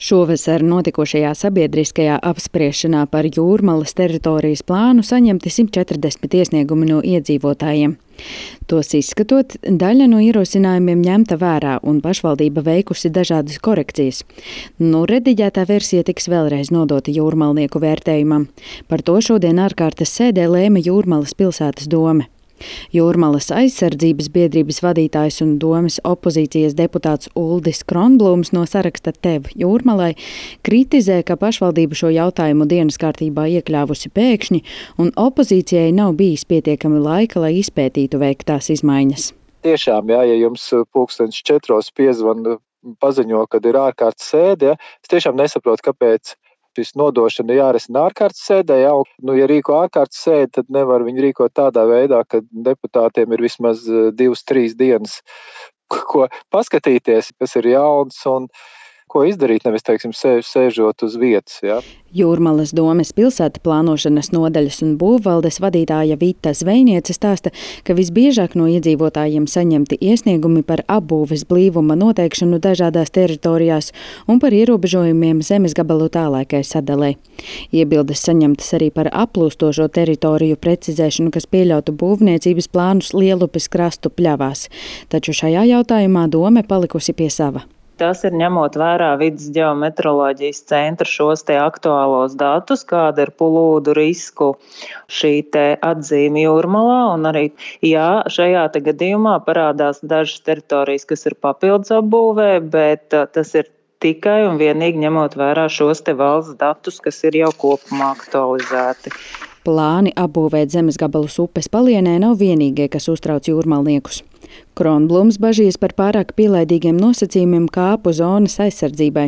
Šovasar notikošajā sabiedriskajā apspriešanā par Jūrmalas teritorijas plānu saņemti 140 iesniegumi no iedzīvotājiem. Tos izskatot, daļa no ierosinājumiem ņemta vērā un pašvaldība veikusi dažādas korekcijas. Rediģētā versija tiks vēlreiz nodota jūrmalnieku vērtējumam. Par to šodien ārkārtas sēdē lēma Jūrmalas pilsētas dome. Jūrmalas aizsardzības biedrības vadītājs un domes opozīcijas deputāts Uldis Kronblūms no saraksta Tev Jūrmalai kritizē, ka pašvaldība šo jautājumu dienas kārtībā iekļāvusi pēkšņi un opozīcijai nav bijis pietiekami laika, lai izpētītu veiktās izmaiņas. Tiešām, ja jums 4:00 piezvana paziņo, kad ir ārkārtas sēde, es tiešām nesaprotu, kāpēc šis nodošana jārisina ārkārtas sēdē. Ja rīko ārkārtas sēdi, tad nevar viņu rīkot tādā veidā, ka deputātiem ir vismaz 2-3 dienas, ko paskatīties, kas ir jauns un ko izdarīt, nevis, sēžot uz vietas. Ja. Jūrmalas domes pilsēta plānošanas nodaļas un būvvaldes vadītāja Vita Zvejniece stāsta, ka visbiežāk no iedzīvotājiem saņemti iesniegumi par apbūves blīvuma noteikšanu dažādās teritorijās un par ierobežojumiem zemes gabalu tālākai sadalei. Iebildes saņemtas arī par aplūstošo teritoriju precizēšanu, kas pieļautu būvniecības plānus Lielupes krastu pļavās. Taču šajā jautājumā dome palikusi pie sava. Tas ir ņemot vērā Vides ģeometroloģijas centra šos te aktuālos datus, kāda ir plūdu risku šī te atzīme Jūrmalā. Un arī, šajā te gadījumā parādās dažas teritorijas, kas ir papildus apbūvē, bet tas ir tikai un vienīgi ņemot vērā šos te valsts datus, kas ir jau kopumā aktualizēti. Plāni apbūvēt zemes gabalus upes palienē nav vienīgie, kas uztrauc jūrmalniekus. Kronblūms bažīs par pārāk pielaidīgiem nosacījumiem kāpu zonas aizsardzībai.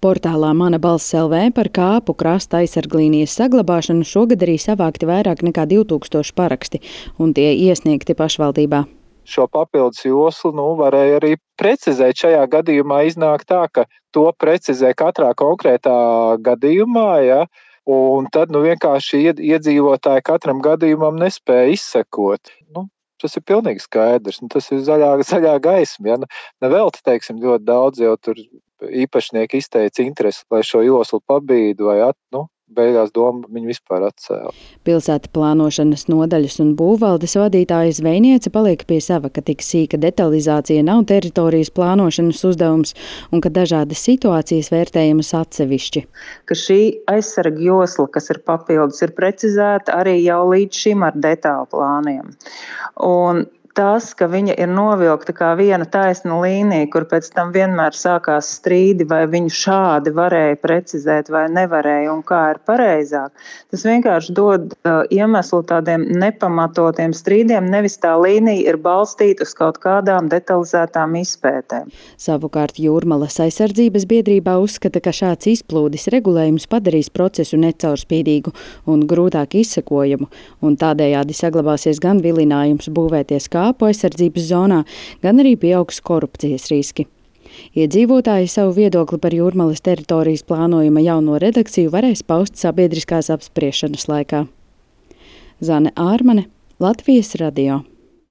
Portālā Mana balss LV par kāpu krasta aizsarglīnijas saglabāšanu šogad arī savākti vairāk nekā 2000 paraksti, un tie iesniegti pašvaldībā. Šo papildus joslu varēja arī precizēt. Šajā gadījumā iznāk tā, ka to precizē katrā konkrētā gadījumā, ja. Un tad vienkārši iedzīvotāji katram gadījumam nespēja izsekot. Tas ir pilnīgi skaidrs. Tas ir zaļā gaisma. Ja? Nevelti, ļoti daudz jau tur īpašnieki izteica interesi, lai šo joslu pabīdu vai beigās doma viņu vispār atcēla. Pilsēta plānošanas nodaļas un būvvaldes vadītāja Zvejniece paliek pie sava, ka tik sīka detalizācija nav teritorijas plānošanas uzdevums un ka dažādas situācijas vērtējamas atsevišķi. Ka šī aizsarga josla, kas ir papildus, ir precizēta arī jau līdz šim ar detālu plāniem. Un tas, ka viņa ir novilkta kā viena taisna līnija, kur pēc tam vienmēr sākās strīdi, vai viņu šādi varēja precizēt vai nevarēja un kā ir pareizāk, tas vienkārši dod iemeslu tādiem nepamatotiem strīdiem, nevis tā līnija ir balstīta uz kaut kādām detalizētām izpētēm. Savukārt Jūrmalas aizsardzības biedrībā uzskata, ka šāds izplūdes regulējums padarīs procesu necaurspīdīgu un grūtāk izsekojamu, un tādējādi saglabāsies gan vilinājums būvēties kāpu aizsardzības zonā, gan arī pieaugs korupcijas riski. Iedzīvotāji savu viedokli par Jūrmalas teritorijas plānojuma jauno redakciju varēs paust sabiedriskās apspriešanas laikā. Zane Ārmane, Latvijas radio.